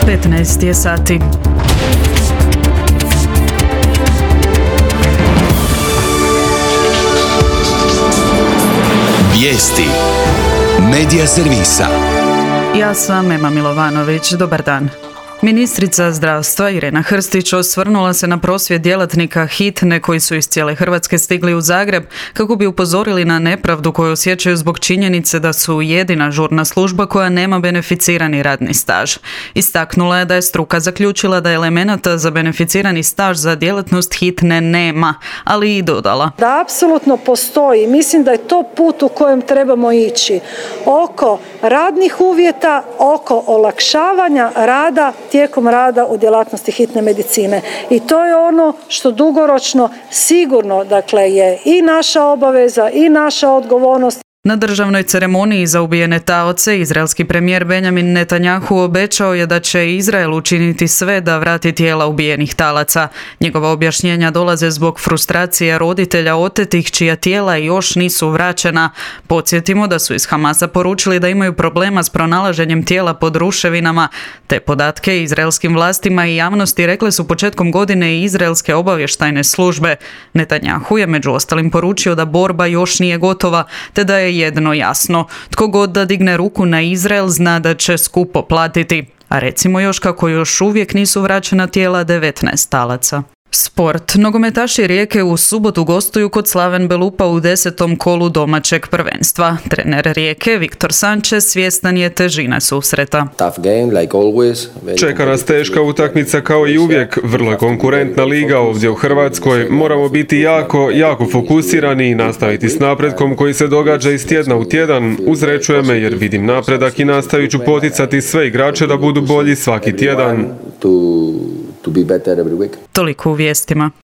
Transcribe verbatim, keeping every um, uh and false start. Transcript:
petnaest je sati. Vijesti Medija servisa. Ja sam Ema Milovanović. Dobar dan. Ministrica zdravstva Irena Hrstić osvrnula se na prosvjed djelatnika hitne koji su iz cijele Hrvatske stigli u Zagreb kako bi upozorili na nepravdu koju osjećaju zbog činjenice da su jedina žurna služba koja nema beneficirani radni staž. Istaknula je da je struka zaključila da elemenata za beneficirani staž za djelatnost hitne nema, ali i dodala da apsolutno postoji. Mislim da je to put u kojem trebamo ići. Oko radnih uvjeta, oko olakšavanja rada tijekom rada u djelatnosti hitne medicine. I to je ono što dugoročno sigurno, dakle, je i naša obaveza i naša odgovornost. Na državnoj ceremoniji za ubijene taoce izraelski premijer Benjamin Netanjahu obećao je da će Izrael učiniti sve da vrati tijela ubijenih talaca. Njegova objašnjenja dolaze zbog frustracije roditelja otetih čija tijela još nisu vraćena. Podsjetimo da su iz Hamasa poručili da imaju problema s pronalaženjem tijela pod ruševinama. Te podatke izraelskim vlastima i javnosti rekle su početkom godine i izraelske obavještajne službe. Netanjahu je među ostalim poručio da borba još nije gotova, te da je jedno jasno. Tko god da digne ruku na Izrael zna da će skupo platiti. A recimo još kako još uvijek nisu vraćena tijela devetnaest talaca. Sport. Nogometaši Rijeke u subotu gostuju kod Slaven Belupa u desetom kolu domaćeg prvenstva. Trener Rijeke Viktor Sanchez svjestan je težine susreta. Čeka nas teška utakmica kao i uvijek. Vrlo je konkurentna liga ovdje u Hrvatskoj. Moramo biti jako, jako fokusirani i nastaviti s napretkom koji se događa iz tjedna u tjedan. Uzrećuje me jer vidim napredak i nastavit ću poticati sve igrače da budu bolji svaki tjedan. Toliko u vijestima.